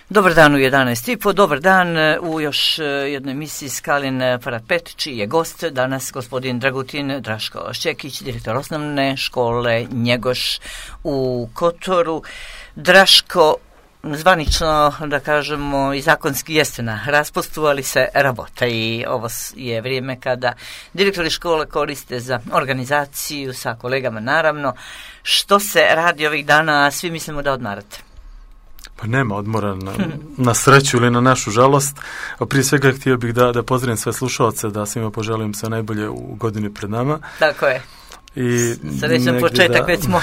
Dobar dan u 11:30, dobar dan u još jednoj emisiji Skalin Parapet, čiji je gost danas gospodin Dragutin Draško Šćekić, direktor osnovne škole Njegoš u Kotoru. Draško, zvanično, da kažemo, i zakonski jeste na raspustu, ali se rabota i ovo je vrijeme kada direktori škole koriste za organizaciju sa kolegama, naravno. Što se radi ovih dana, svi mislimo da odmarate? Pa nema odmora na sreću ili na našu žalost. Prije svega htio bih da pozdravim sve slušalce, da svima poželim sve najbolje u godini pred nama. Tako je. Srećan početak, već smo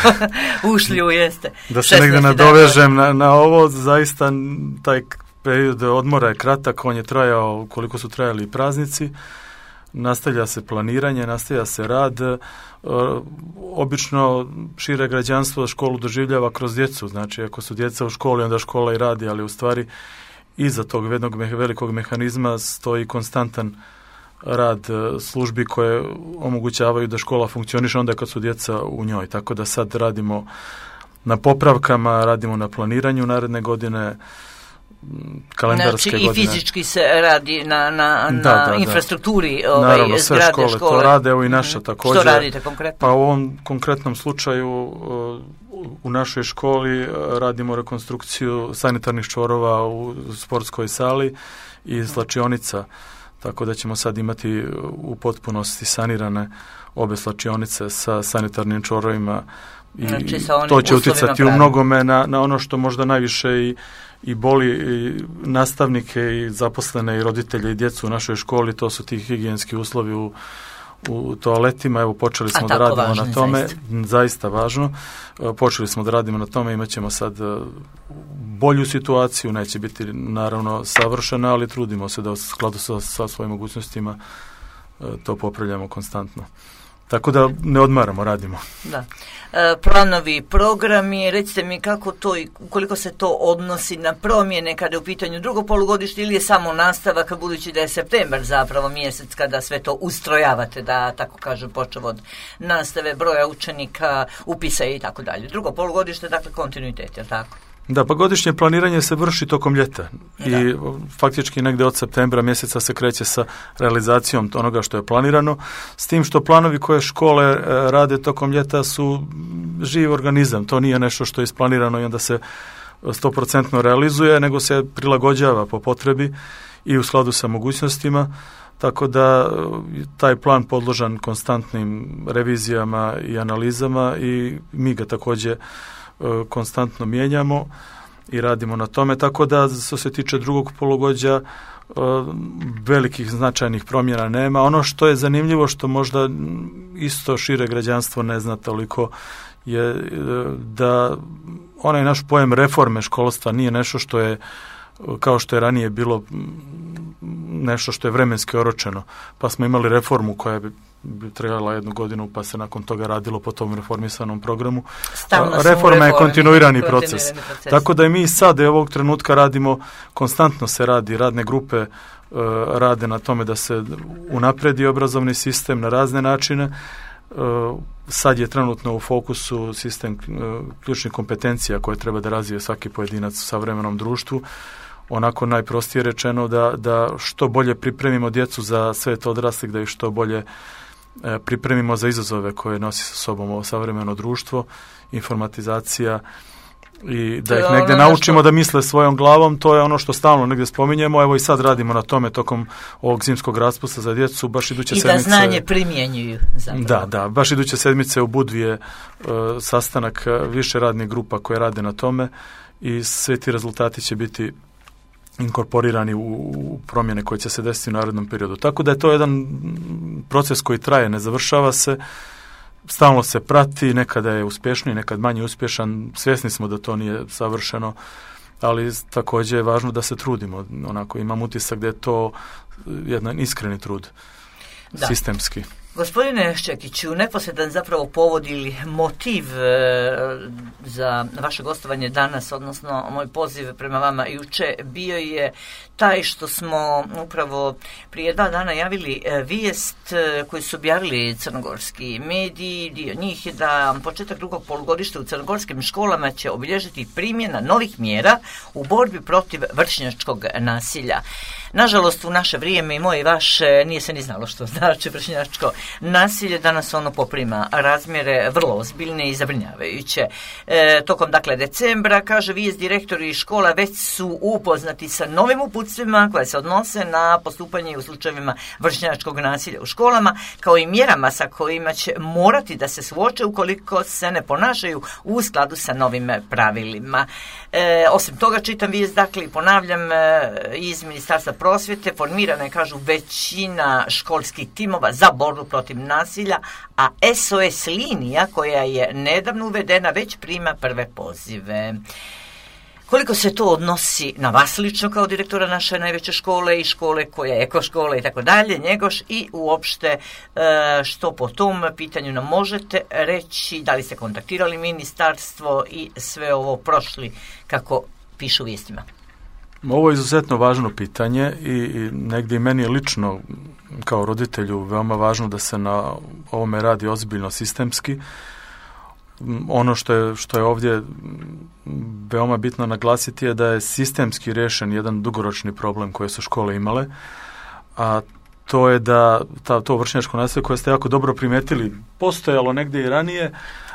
ušli u jeste. Da se negdje nadovežem na ovo, zaista taj period odmora je kratak, on je trajao koliko su trajali praznici. Nastavlja se planiranje, nastavlja se rad. Obično šire građanstvo školu doživljava kroz djecu, znači ako su djeca u školi onda škola i radi, ali u stvari iza tog jednog velikog mehanizma stoji konstantan rad službi koje omogućavaju da škola funkcioniše onda kad su djeca u njoj, tako da sad radimo na popravkama, radimo na planiranju naredne godine, kalendarske godine. I fizički se radi na infrastrukturi naravno, sve zgrade, škole to rade, evo i naša također. Što radite konkretno? Pa u ovom konkretnom slučaju u našoj školi radimo rekonstrukciju sanitarnih čvorova u sportskoj sali i slačionica, tako da ćemo sad imati u potpunosti sanirane obe slačionice sa sanitarnim čvorovima i znači, to će utjecati u mnogome na ono što možda najviše i boli i nastavnike i zaposlene i roditelje i djecu u našoj školi, to su ti higijenski uslovi u toaletima. Evo počeli smo da radimo važno, na tome, zaista važno. Počeli smo da radimo na tome, imat ćemo sad bolju situaciju, neće biti naravno savršena, ali trudimo se da u skladu sa svojim mogućnostima to popravljamo konstantno. Tako da ne odmaramo, radimo. Da. Planovi, programi, recite mi kako to i koliko se to odnosi na promjene kada je u pitanju drugo polugodište ili je samo nastavak, budući da je septembar zapravo mjesec kada sve to ustrojavate, da tako kažem, počeo od nastave, broja učenika, upisa i tako dalje. Drugo polugodište, dakle, kontinuitet, je li tako? Da, pa godišnje planiranje se vrši tokom ljeta i faktički negdje od septembra mjeseca se kreće sa realizacijom onoga što je planirano, s tim što planovi koje škole rade tokom ljeta su živ organizam, to nije nešto što je isplanirano i onda se 100% realizuje, nego se prilagođava po potrebi i u skladu sa mogućnostima, tako da taj plan podložan konstantnim revizijama i analizama i mi ga također konstantno mijenjamo i radimo na tome, tako da što se tiče drugog polugodišta velikih značajnih promjena nema. Ono što je zanimljivo, što možda isto šire građanstvo ne zna toliko, je da onaj naš pojam reforme školstva nije nešto što je kao što je ranije bilo nešto što je vremenski oročeno, pa smo imali reformu koja bi trebala 1 godinu, pa se nakon toga radilo po tom reformisanom programu. Reforma je kontinuirani proces. Tako da i mi sad ovog trenutka radimo, konstantno se radi, radne grupe rade na tome da se unapredi obrazovni sistem na razne načine. Sad je trenutno u fokusu sistem ključnih kompetencija koje treba da razvije svaki pojedinac u savremenom društvu. Onako najprostije rečeno da što bolje pripremimo djecu za svet odraslih, da ih što bolje pripremimo za izazove koje nosi sa sobom ovo savremeno društvo, informatizacija i da ih negdje naučimo da misle svojom glavom, to je ono što stalno negdje spominjemo, evo i sad radimo na tome tokom ovog zimskog raspusta za djecu, baš iduće sedmice. I da znanje primjenjuju. Zapravo. Da, baš iduće sedmice u Budvi je sastanak više radnih grupa koje rade na tome i sve ti rezultati će biti inkorporirani u promjene koje će se desiti u narednom periodu. Tako da je to jedan proces koji traje, ne završava se, stalno se prati, nekada je uspješniji, nekad manje uspješan, svjesni smo da to nije savršeno, ali također je važno da se trudimo. Onako, imam utisak da je to jedan iskreni trud, sistemski. Gospodine Ščekiću, neposredan zapravo povod ili motiv za vaše gostovanje danas, odnosno moj poziv prema vama juče, bio je taj što smo upravo prije 2 dana javili vijest koju su objavili crnogorski mediji. Dio njih je da početak drugog polugodišta u crnogorskim školama će obilježiti primjena novih mjera u borbi protiv vršnjačkog nasilja. Nažalost, u naše vrijeme i moje i vaše nije se ni znalo što znači vršnjačko nasilje. Danas ono poprima razmjere vrlo ozbiljne i zabrinjavajuće. Tokom decembra, kaže vijest, direktori škola već su upoznati sa novim uputstvima koje se odnose na postupanje u slučajevima vršnjačkog nasilja u školama, kao i mjerama sa kojima će morati da se suoče ukoliko se ne ponašaju u skladu sa novim pravilima. Osim toga, čitam vijest, i ponavljam, iz Ministarstva prosvjete formirana je, kažu, većina školskih timova za borbu protiv nasilja, a SOS linija koja je nedavno uvedena već prima prve pozive. Koliko se to odnosi na vas lično kao direktora naše najveće škole i škole koja je ekoškola i tako dalje, Njegoš, i uopšte što po tom pitanju nam možete reći, da li ste kontaktirali ministarstvo i sve ovo prošli kako pišu u vijestima? Ovo je izuzetno važno pitanje i negdje i meni je lično kao roditelju veoma važno da se na ovome radi ozbiljno sistemski. Ono što je ovdje veoma bitno naglasiti je da je sistemski riješen jedan dugoročni problem koje su škole imale, a to je da to vršnjačko nasilje koje ste jako dobro primijetili postojalo negdje i ranije,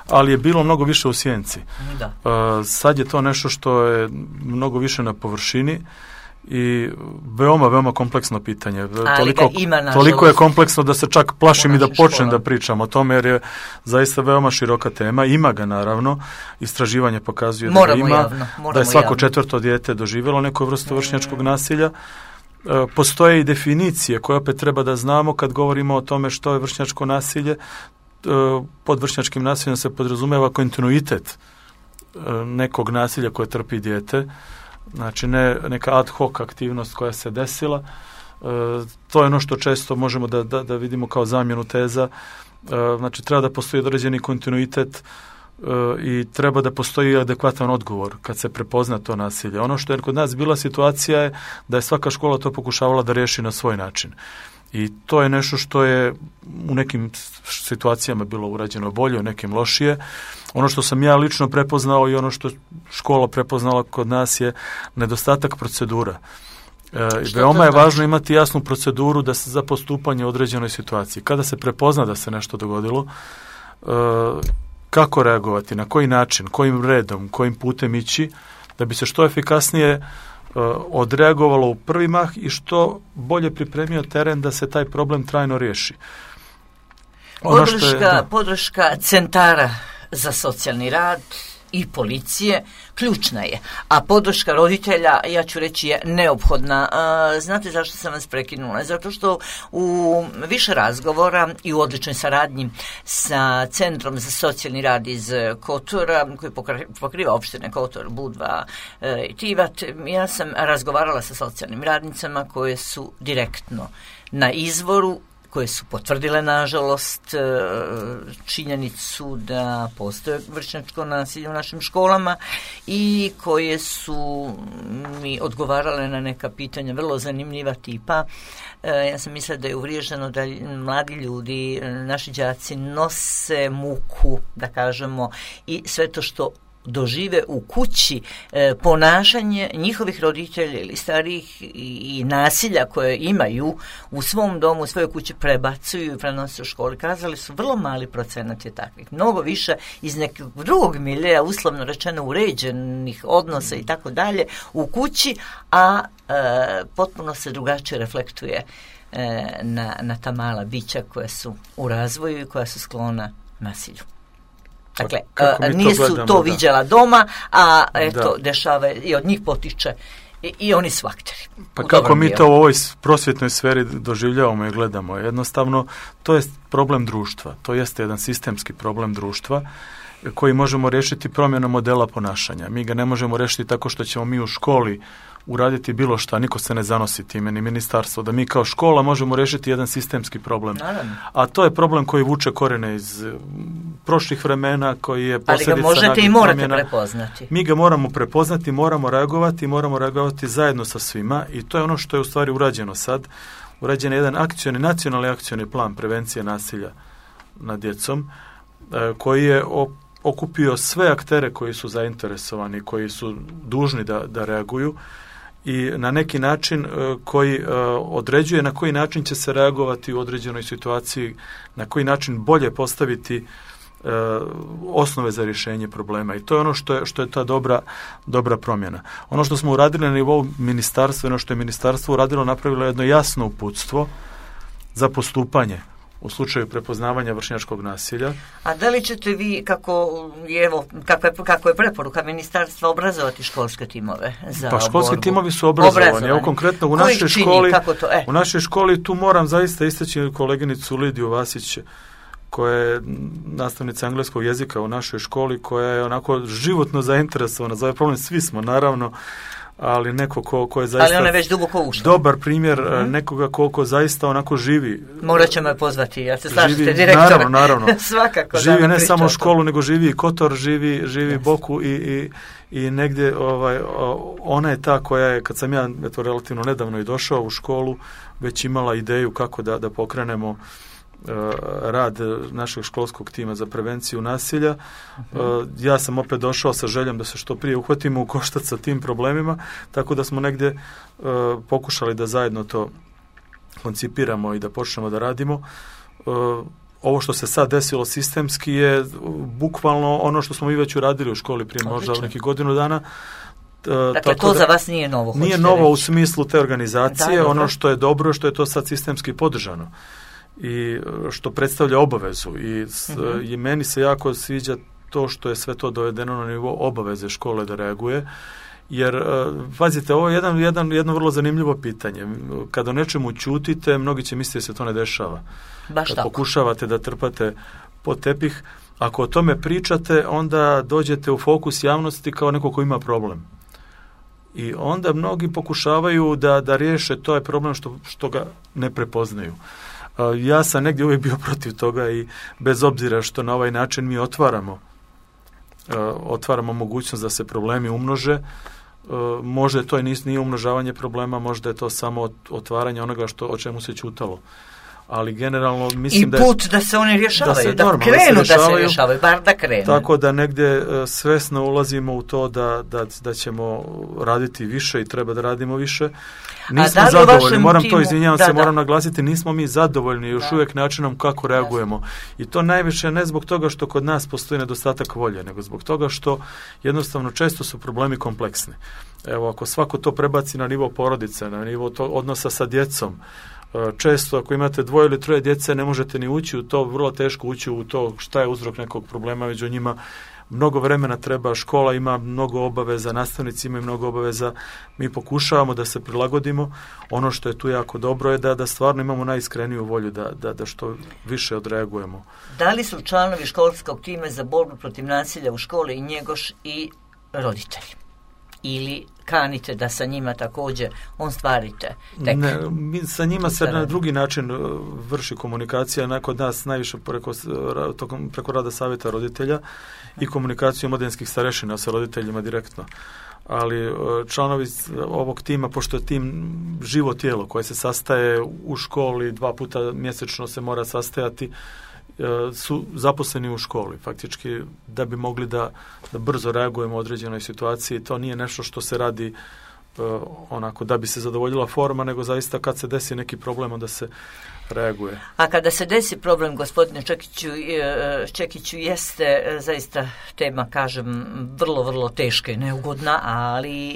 ali je bilo mnogo više u sjenci. Sad je to nešto što je mnogo više na površini i veoma kompleksno pitanje. Toliko je kompleksno da se čak plašim i da počnem da pričam o tome, jer je zaista veoma široka tema. Ima ga, naravno. Istraživanje pokazuje da ima, da je svako 4. dijete doživjelo neku vrstu vršnjačkog nasilja. Postoje i definicije koje opet treba da znamo kad govorimo o tome što je vršnjačko nasilje. Pod vršnjačkim nasiljem se podrazumijeva kontinuitet nekog nasilja koje trpi dijete, znači ne neka ad hoc aktivnost koja se desila. To je ono što često možemo da vidimo kao zamjenu teza. Znači treba da postoji određeni kontinuitet i treba da postoji adekvatan odgovor kad se prepozna to nasilje. Ono što je kod nas bila situacija je da je svaka škola to pokušavala da riješi na svoj način. I to je nešto što je u nekim situacijama bilo urađeno bolje, u nekim lošije. Ono što sam ja lično prepoznao i ono što škola prepoznala kod nas je nedostatak procedura. Veoma je važno imati jasnu proceduru da se za postupanje u određenoj situaciji. Kada se prepozna da se nešto dogodilo, kako reagovati, na koji način, kojim redom, kojim putem ići, da bi se što efikasnije odreagovalo u prvi mah i što bolje pripremio teren da se taj problem trajno riješi. Podrška centara za socijalni rad i policije ključna je, a podrška roditelja, ja ću reći, je neophodna. Znate zašto sam vas prekinula? Zato što u više razgovora i u odličnoj saradnji sa Centrom za socijalni rad iz Kotora, koji pokriva opštine Kotor, Budva i Tivat, ja sam razgovarala sa socijalnim radnicama koje su direktno na izvoru, koje su potvrdile, nažalost, činjenicu da postoje vršnjačko nasilje u našim školama i koje su mi odgovarale na neka pitanja vrlo zanimljiva tipa. Ja sam mislila da je uvriježeno da mladi ljudi, naši đaci, nose muku, da kažemo, i sve to što dožive u kući, ponašanje njihovih roditelja ili starijih i nasilja koje imaju u svom domu, u svojoj kući, prebacuju i prenose u školi. Kazali su, vrlo mali procenat je takvih. Mnogo više iz nekog drugog miljeja, uslovno rečeno uređenih odnosa i tako dalje, u kući, a potpuno se drugačije reflektuje na ta mala bića koja su u razvoju i koja su sklona nasilju. Dakle, nisu to viđala doma, a eto, dešava i od njih potiče i oni su akteri. Pa kako mi to u ovoj prosvjetnoj sferi doživljavamo i gledamo? Jednostavno, to je problem društva. To jeste jedan sistemski problem društva koji možemo riješiti promjenom modela ponašanja. Mi ga ne možemo riješiti tako što ćemo mi u školi uraditi bilo šta, niko se ne zanosi time, ni ministarstvo, da mi kao škola možemo riješiti jedan sistemski problem. Naravno. A to je problem koji vuče korene iz prošlih vremena, koji je posljedica. Ali ga možete i morate prepoznati. Mi ga moramo prepoznati, moramo reagovati zajedno sa svima i to je ono što je u stvari urađeno sad. Urađen je jedan nacionalni akcioni plan prevencije nasilja nad djecom, koji je okupio sve aktere koji su zainteresovani, koji su dužni da reaguju i na neki način koji određuje na koji način će se reagovati u određenoj situaciji, na koji način bolje postaviti osnove za rješenje problema. I to je ono što je ta dobra promjena. Ono što smo uradili na nivou ministarstva, ono što je ministarstvo uradilo, napravilo jedno jasno uputstvo za postupanje u slučaju prepoznavanja vršnjačkog nasilja. A da li ćete vi, kako je preporuka ministarstva, obrazovati školske timove za borbu? Školski timovi su obrazovani. Evo konkretno u našoj školi tu moram zaista istaći koleginicu Lidiju Vasić, koja je nastavnica engleskog jezika u našoj školi, koja je onako životno zainteresovana za ovaj problem. Svi smo, naravno, ali neko ko je zaista... Ali ona je već duboko ušla. Dobar primjer nekoga ko zaista onako živi. Morat ćemo je pozvati, ja se slažete direktora. Naravno. Svakako. Živi ne samo školu, nego živi i Kotor, živi Boku i negdje ona je ta koja je, kad sam ja relativno nedavno i došao u školu, već imala ideju kako da pokrenemo rad našeg školskog tima za prevenciju nasilja. Ja sam opet došao sa željom da se što prije uhvatimo u koštac sa tim problemima, tako da smo negdje pokušali da zajedno to koncipiramo i da počnemo da radimo. Ovo što se sad desilo sistemski je bukvalno ono što smo mi već uradili u školi prije možda nekih godinu dana. Dakle, to za vas nije novo. Nije novo u smislu te organizacije, ono što je dobro, što je to sad sistemski podržano i što predstavlja obavezu i meni se jako sviđa to što je sve to dovedeno na nivo obaveze škole da reaguje, jer pazite, ovo je jedno vrlo zanimljivo pitanje. Kad o nečemu ćutite, mnogi će misliti da se to ne dešava. Baš kad tako. Pokušavate da trpate pod tepih, ako o tome pričate, onda dođete u fokus javnosti kao neko ko ima problem. I onda mnogi pokušavaju da riješe taj problem što ga ne prepoznaju. Ja sam negdje uvijek bio protiv toga i bez obzira što na ovaj način mi otvaramo mogućnost da se problemi umnože, možda to nije umnožavanje problema, možda je to samo otvaranje onoga o čemu se ćutalo. Ali generalno mislim da put da se oni rješavaju, da se rješavaju, bar da krenu. Tako da negdje svesno ulazimo u to da ćemo raditi više i treba da radimo više. Nismo zadovoljni, moram naglasiti, nismo mi zadovoljni još uvijek načinom kako reagujemo. I to najviše ne zbog toga što kod nas postoji nedostatak volje, nego zbog toga što jednostavno često su problemi kompleksni. Evo, ako svako to prebaci na nivo porodice, na nivo odnosa sa djecom, često ako imate 2 ili 3 djece ne možete ni ući u to, vrlo teško ući u to šta je uzrok nekog problema među njima. Mnogo vremena treba, škola ima mnogo obaveza, nastavnici imaju mnogo obaveza, mi pokušavamo da se prilagodimo. Ono što je tu jako dobro je da stvarno imamo najiskreniju volju da što više odreagujemo. Da li su članovi školskog tima za borbu protiv nasilja u školi i njegoš i roditelji? Ili kanite da sa njima također ostvarite? Mi sa njima se na drugi način vrši komunikacija, kod nas najviše preko rada savjeta roditelja i komunikaciju omladinskih starešina sa roditeljima direktno. Ali članovi ovog tima, pošto je tim živo tijelo koje se sastaje u školi 2 puta mjesečno se mora sastajati, su zaposleni u školi faktički da bi mogli da brzo reagujemo u određenoj situaciji. To nije nešto što se radi onako da bi se zadovoljila forma, nego zaista kad se desi neki problem onda se reaguje. A kada se desi problem, gospodine Čekiću, jeste zaista tema, kažem, vrlo, vrlo teška i neugodna, ali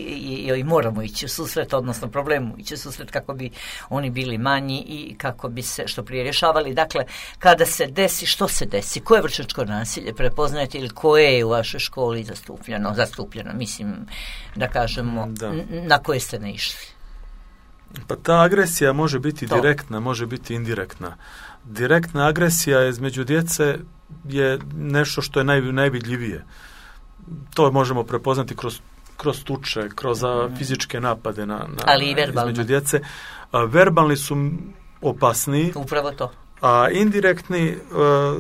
i moramo ići u susret, odnosno problemu ići u susret kako bi oni bili manji i kako bi se što prije rješavali. Dakle, kada se desi, što se desi? Koje vršnjačko nasilje prepoznajete ili koje je u vašoj školi zastupljeno? Mislim, da kažemo, na koje ste ne išli? Pa ta agresija može biti direktna, može biti indirektna. Direktna agresija između djece je nešto što je najvidljivije. To možemo prepoznati kroz kroz tuče, kroz fizičke napade ali i verbalni. Između djece. Verbalni su opasniji. Upravo to. A indirektni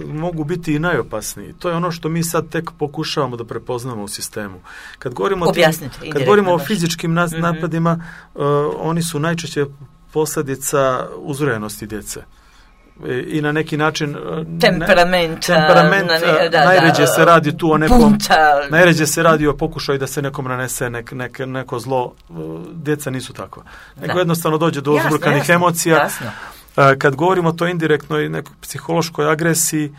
mogu biti i najopasniji. To je ono što mi sad tek pokušavamo da prepoznamo u sistemu. Kad govorimo o fizičkim napadima, oni su najčešće posljedica uzrojenosti djece. I na neki način temperament najređe se radi tu o nekom najređe se radi o pokušaju da se nekom nanese neko zlo. Djeca nisu takva. Nego jednostavno dođe do uzburkanih emocija. Jasno. Kad govorimo o toj indirektnoj nekoj psihološkoj agresiji,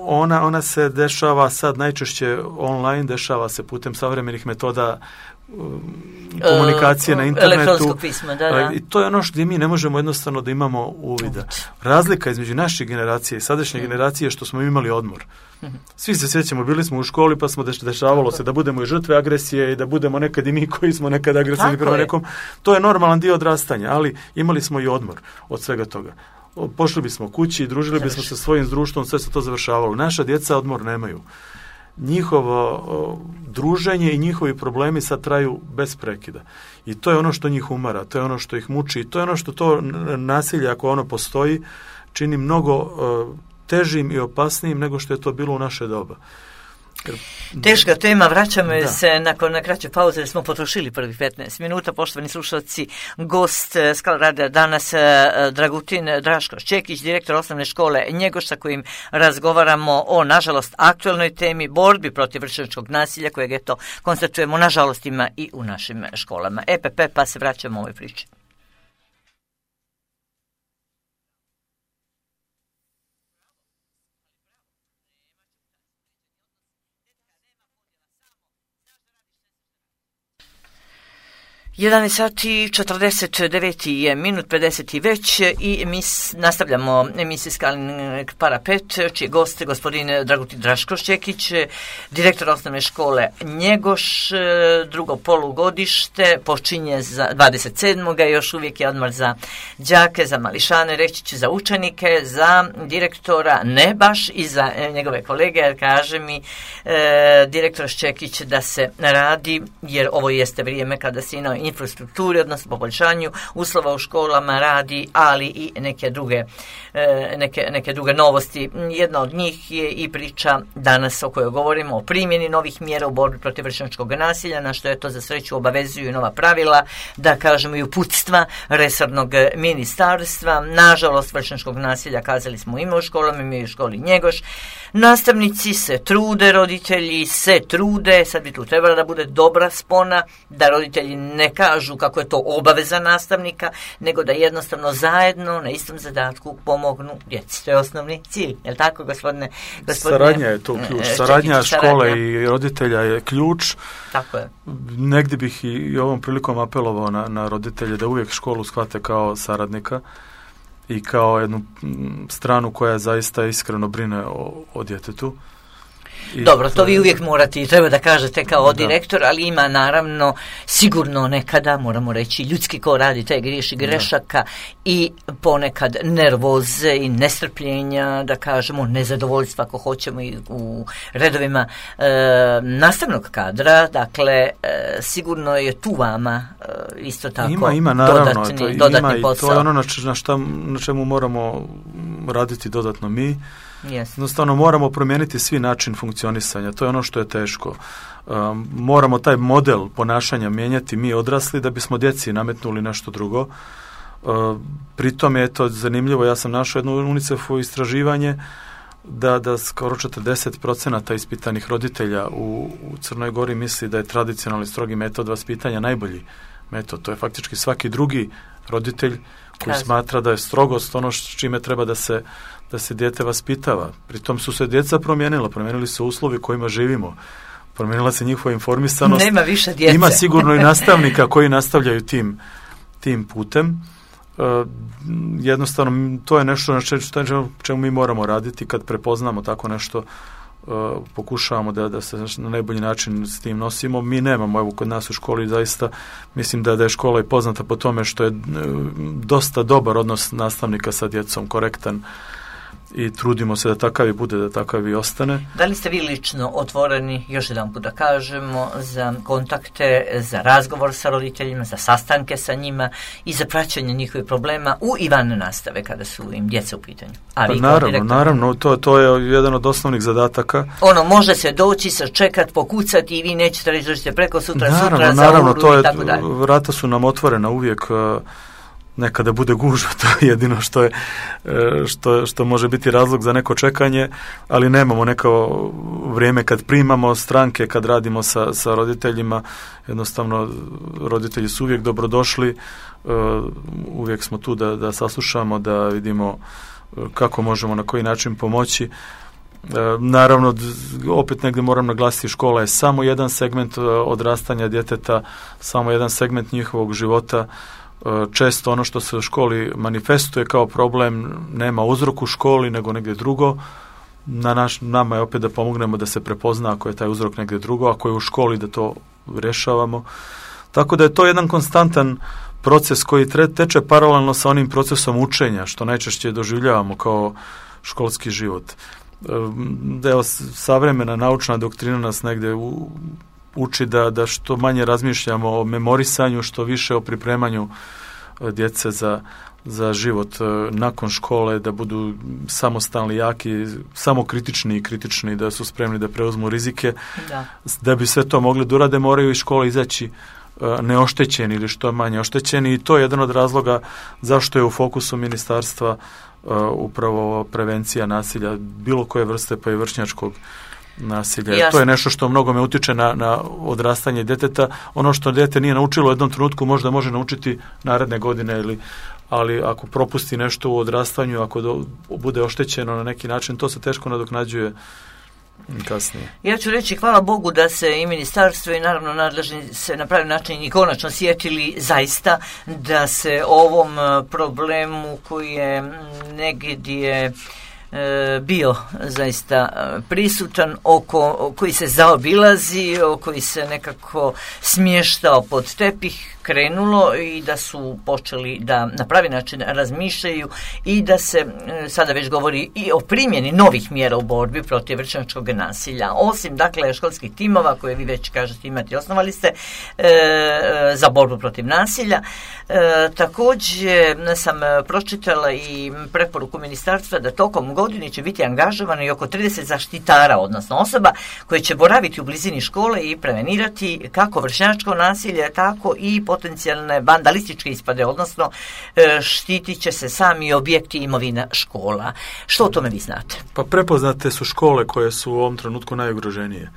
ona se dešava sad najčešće online, dešava se putem savremenih metoda komunikacije na internetu. Elektronskog pisma, da. I to je ono što mi ne možemo jednostavno da imamo uvida. Razlika između naše generacije i sadašnje generacije je što smo imali odmor. Svi se sjećamo, bili smo u školi pa smo dešavalo se da budemo i žrtve agresije i da budemo nekad i mi koji smo nekad agresivni prema nekom. To je normalan dio odrastanja, ali imali smo i odmor od svega toga. Pošli bismo kući, družili bismo se svojim društvom, sve se to završavalo. Naša djeca odmor nemaju. Njihovo druženje i njihovi problemi sad traju bez prekida. I to je ono što njih umara, to je ono što ih muči i to je ono što to nasilje, ako ono postoji, čini mnogo težim i opasnijim nego što je to bilo u naše doba. Teška tema, vraćamo se nakon kraće pauze jer smo potrošili prvih 15 minuta. Poštovani slušalci, gost Skala radija danas Dragutin Draškoš-Čekić, direktor osnovne škole Njegoš, sa kojim razgovaramo o, nažalost, aktualnoj temi borbi protiv vršnjačkog nasilja, kojeg eto konstatujemo, nažalost, ima i u našim školama. EPP, pa se vraćamo u ovoj priči. Jedan sat i 49 minut, 50 već i mi nastavljamo emisiju Skalin Parapet, čiji gost gospodin Dragutin Draškoš-Čekić, direktor osnovne škole Njegoš. Drugo polugodište počinje za 27. Još uvijek je odmor za đake, za mališane, reći ću za učenike, za direktora ne baš i za njegove kolege, jer kaže mi direktor Ščekić da se radi, jer ovo jeste vrijeme kada se na infrastrukturi, odnosno poboljšanju uslova u školama radi, ali i neke druge novosti. Jedna od njih je i priča danas o kojoj govorimo o primjeni novih mjera u borbi protiv vršnjačkog nasilja, na što je to za sreću obavezuju nova pravila, da kažemo i uputstva resornog ministarstva. Nažalost, vršnjačkog nasilja, kazali smo, ima u školama, ima i u školi Njegoš. Nastavnici se trude, roditelji se trude, sad bi tu trebala da bude dobra spona, da roditelji ne kažu kako je to obaveza nastavnika, nego da jednostavno zajedno na istom zadatku pomognu djeci. To je osnovni cilj, je li tako, gospodine? Saradnja je tu ključ. Saradnja škole i roditelja je ključ. Tako je. Negdje bih i ovom prilikom apelovao na roditelje da uvijek školu shvate kao saradnika i kao jednu stranu koja zaista iskreno brine o djetetu. Dobro, to vi uvijek morate i treba da kažete kao direktor, ali ima naravno sigurno nekada, moramo reći, ljudski ko radi taj griješi grešaka i ponekad nervoze i nestrpljenja, da kažemo nezadovoljstva ako hoćemo i u redovima nastavnog kadra, dakle sigurno je tu vama isto tako ima naravno, dodatni posao. To je ono na čemu moramo raditi dodatno mi. Jednostavno moramo promijeniti svi način funkcionisanja, to je ono što je teško. Moramo taj model ponašanja mijenjati mi odrasli da bismo djeci nametnuli nešto drugo. Pritom je to zanimljivo, ja sam našao jedno UNICEF-ovo istraživanje da skoro 40% ispitanih roditelja u Crnoj Gori misli da je tradicionalni strogi metod vaspitanja najbolji metod. To je faktički svaki drugi roditelj koji smatra da je strogost ono s čime treba da se dijete vaspitava. Pritom su se djeca promijenili su uslovi kojima živimo. Promijenila se njihova informisanost. Nema više djece. Ima sigurno i nastavnika koji nastavljaju tim putem. Jednostavno, to je nešto na čemu mi moramo raditi kad prepoznamo tako nešto. Pokušavamo da se na najbolji način s tim nosimo. Mi nemamo, evo kod nas u školi zaista mislim da je škola i poznata po tome što je dosta dobar odnos nastavnika sa djecom, korektan i trudimo se da takav i bude, da takav i ostane. Da li ste vi lično otvoreni, još jedan put da kažemo, za kontakte, za razgovor sa roditeljima, za sastanke sa njima i za praćenje njihovih problema u i van nastave kada su im djeca u pitanju? Naravno, to je jedan od osnovnih zadataka. Može se doći, sačekati, pokucati i vi nećete reći da ćete preko sutra za uru i tako dalje. Vrata su nam otvorena uvijek, nekada bude gužva, to je jedino što može biti razlog za neko čekanje, ali nemamo neko vrijeme kad primamo stranke, kad radimo sa roditeljima, jednostavno roditelji su uvijek dobrodošli, uvijek smo tu da saslušamo, da vidimo kako možemo, na koji način pomoći. Naravno, opet negdje moram naglasiti, škola je samo jedan segment odrastanja djeteta, samo jedan segment njihovog života. Često ono što se u školi manifestuje kao problem nema uzrok u školi, nego negdje drugo. Nama je opet da pomognemo da se prepozna ako je taj uzrok negdje drugo, ako je u školi da to rješavamo. Tako da je to jedan konstantan proces koji teče paralelno sa onim procesom učenja, što najčešće doživljavamo kao školski život. Evo, savremena naučna doktrina nas negdje uči da što manje razmišljamo o memorisanju, što više o pripremanju djece za život nakon škole, da budu samostalni, jaki, samokritični i kritični, da su spremni da preuzmu rizike. Da bi sve to mogli da urade, moraju iz škole izaći neoštećeni ili što manje oštećeni, i to je jedan od razloga zašto je u fokusu ministarstva upravo prevencija nasilja bilo koje vrste, pa i vršnjačkog nasilja. To je nešto što mnogome utiče na odrastanje djeteta. Ono što dijete nije naučilo u jednom trenutku možda može naučiti naredne godine, ali ako propusti nešto u odrastanju, ako bude oštećeno na neki način, to se teško nadoknađuje kasnije. Ja ću reći hvala Bogu da se i ministarstvo i naravno nadležni se na pravi način i konačno sjetili zaista da se ovom problemu koji je negdje bio zaista prisutan, koji se zaobilazi, koji se nekako smještao pod tepih, krenulo i da su počeli da na pravi način razmišljaju i da se sada već govori i o primjeni novih mjera u borbi protiv vršnjačkog nasilja. Osim, dakle, školskih timova koje vi već kažete imate, osnovali ste za borbu protiv nasilja. Također sam pročitala i preporuku ministarstva da tokom godine će biti angažovano i oko 30 zaštitara, odnosno osoba koje će boraviti u blizini škole i prevenirati kako vršnjačko nasilje, tako i potencijalne vandalističke ispade, odnosno štitit će se sami objekti i imovina škola. Što o tome vi znate? Pa prepoznate su škole koje su u ovom trenutku najugroženije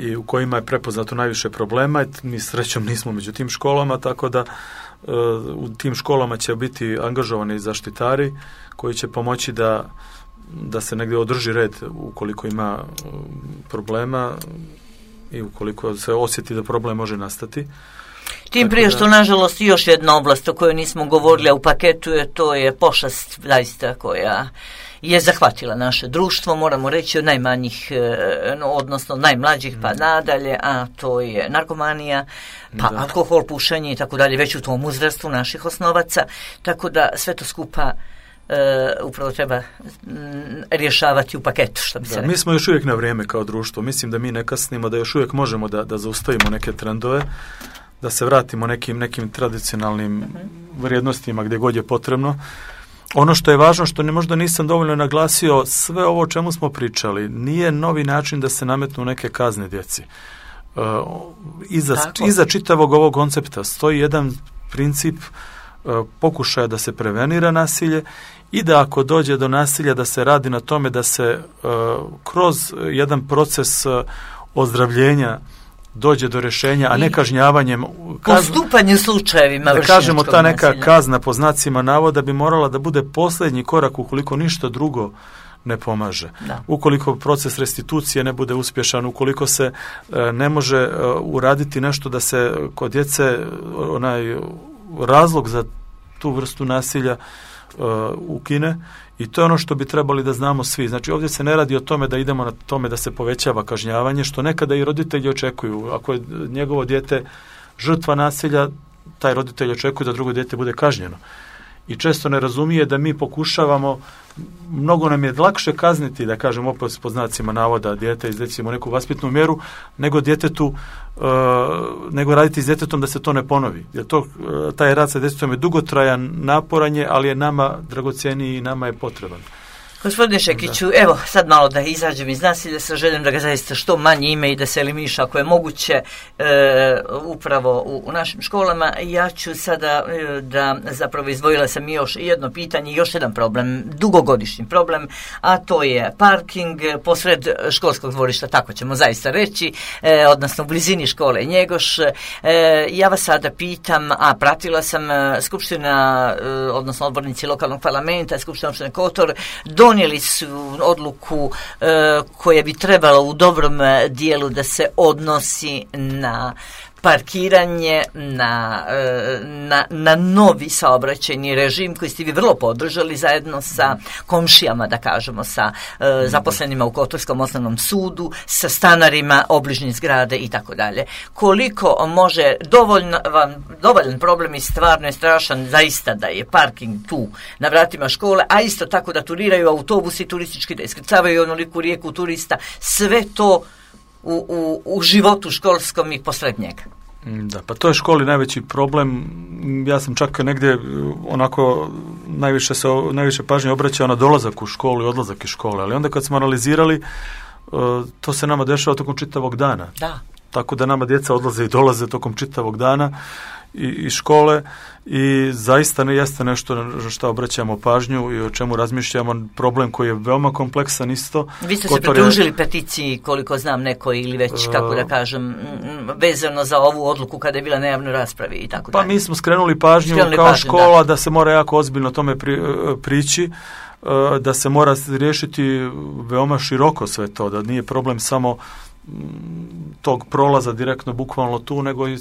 i u kojima je prepoznato najviše problema. Mi srećom nismo među tim školama, tako da u tim školama će biti angažovani zaštitari koji će pomoći da se negdje održi red ukoliko ima problema i ukoliko se osjeti da problem može nastati. Tim prije što, nažalost, još jedna oblast o kojoj nismo govorili, a u paketu to je pošast zaista koja je zahvatila naše društvo, moramo reći od najmanjih, odnosno najmlađih pa nadalje, a to je narkomanija, pa alkohol, pušenje i tako dalje, već u tom uzrastu naših osnovaca, tako da sve to skupa upravo treba rješavati u paketu, što bi se rekao. Mi smo još uvijek na vrijeme kao društvo, mislim da mi ne kasnimo, da još uvijek možemo da zaustavimo neke trendove, da se vratimo nekim tradicionalnim vrijednostima gdje god je potrebno. Ono što je važno, što možda nisam dovoljno naglasio, sve ovo o čemu smo pričali, nije novi način da se nametnu neke kazne djeci. Iza čitavog ovog koncepta stoji jedan princip pokušaja da se prevenira nasilje i da ako dođe do nasilja da se radi na tome da se kroz jedan proces ozdravljenja dođe do rješenja, a ne kažnjavanjem. Postupanje slučajevima vršnjačkog nasilja. Kažemo, ta neka kazna po znacima navoda bi morala da bude posljednji korak ukoliko ništa drugo ne pomaže. Ukoliko proces restitucije ne bude uspješan, ukoliko se ne može uraditi nešto da se kod djece onaj razlog za tu vrstu nasilja ukine, i to je ono što bi trebali da znamo svi. Znači, ovdje se ne radi o tome da idemo na tome da se povećava kažnjavanje, što nekada i roditelji očekuju. Ako je njegovo dijete žrtva nasilja, taj roditelj očekuje da drugo dijete bude kažnjeno. i često ne razumije da mi pokušavamo, mnogo nam je lakše kazniti, da kažem opet po znacima navoda, dijete izrecimo neku vaspitnu mjeru, nego raditi s djetetom da se to ne ponovi. Jer taj rad sa djetetom je dugotrajan, naporan je, ali je nama dragocjeniji i nama je potreban. Gospodine Šekiću, evo sad malo da izađem iz nasilja sa željom da ga zaista što manje ime i da se eliminiša ako je moguće upravo u našim školama. Ja ću sada da zapravo izdvojila sam još jedno pitanje, još jedan problem, dugogodišnji problem, a to je parking posred školskog dvorišta, tako ćemo zaista reći, odnosno u blizini škole Njegoš. Ja vas sada pitam, a pratila sam skupština, odnosno odbornici lokalnog parlamenta, skupština opštine Kotor, donijeli su odluku koja bi trebala u dobrom dijelu da se odnosi na parkiranje, na novi saobraćajni režim koji ste vi vrlo podržali zajedno sa komšijama, da kažemo, sa zaposlenima u Kotorskom osnovnom sudu, sa stanarima obližnjih zgrade i tako dalje. Koliko može dovoljan problem i stvarno je strašan zaista da je parking tu na vratima škole, a isto tako da turiraju autobusi turistički, da iskrcavaju onoliku rijeku turista, sve to u životu školskom i posred njega. Da, pa to je školi najveći problem. Ja sam čak negdje onako najviše pažnje obraćao na dolazak u školu i odlazak iz škole, ali onda kad smo analizirali, to se nama dešava tokom čitavog dana. Da. Tako da nama djeca odlaze i dolaze tokom čitavog dana iz škole i zaista ne jeste nešto na što obraćamo pažnju i o čemu razmišljamo, problem koji je veoma kompleksan isto. Vi ste se pridružili peticiji, koliko znam, neko ili već, kako da kažem, vezano za ovu odluku kada je bila na javnoj raspravi i tako dalje. Pa mi smo skrenuli pažnju škola da se mora jako ozbiljno tome prići, da se mora riješiti veoma široko sve to, da nije problem samo tog prolaza direktno bukvalno tu, nego i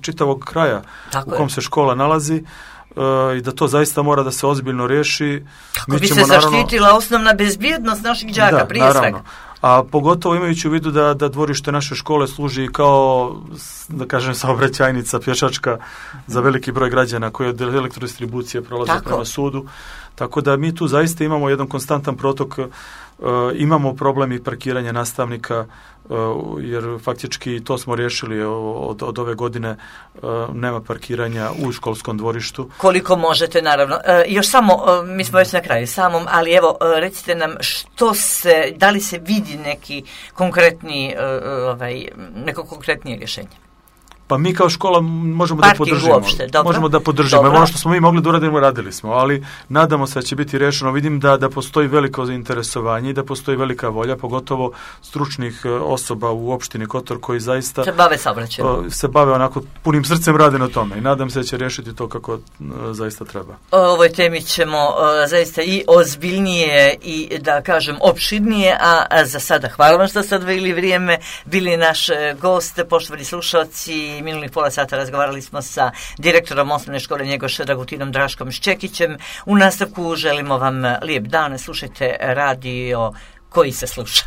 čitavog kraja u kom se škola nalazi i da to zaista mora da se ozbiljno riješi. Kako bi se zaštitila osnovna bezbjednost naših đaka, prije svega. A pogotovo imajući u vidu da dvorište naše škole služi kao, da kažem, saobraćajnica pješačka za veliki broj građana koji od elektrodistribucije prolaze prema sudu. Tako da mi tu zaista imamo jedan konstantan protok, imamo problem i parkiranja nastavnika, jer faktički to smo riješili od ove godine, nema parkiranja u školskom dvorištu. Koliko možete, naravno. Još samo, mi smo već na kraju samom, ali evo, recite nam da li se vidi neki konkretni, neko konkretnije rješenje? Pa mi kao škola možemo da podržimo. Možemo da podržimo. Ono što smo mi mogli da uradimo, radili smo, ali nadamo se da će biti rešeno. Vidim da postoji veliko zainteresovanje i da postoji velika volja, pogotovo stručnih osoba u opštini Kotor koji zaista se bave onako punim srcem, rade na tome i nadam se da će rešiti to kako zaista treba. O ovoj temi ćemo zaista i ozbiljnije i da kažem opširnije, a za sada hvala vam što ste odvojili vrijeme, bili naš gost, poštovani slušalci. Minulih pola sata razgovarali smo sa direktorom osnovne škole Njegoš Dragutinom Draškom Ščekićem. U nastavku želimo vam lijep dan, slušajte radio koji se sluša.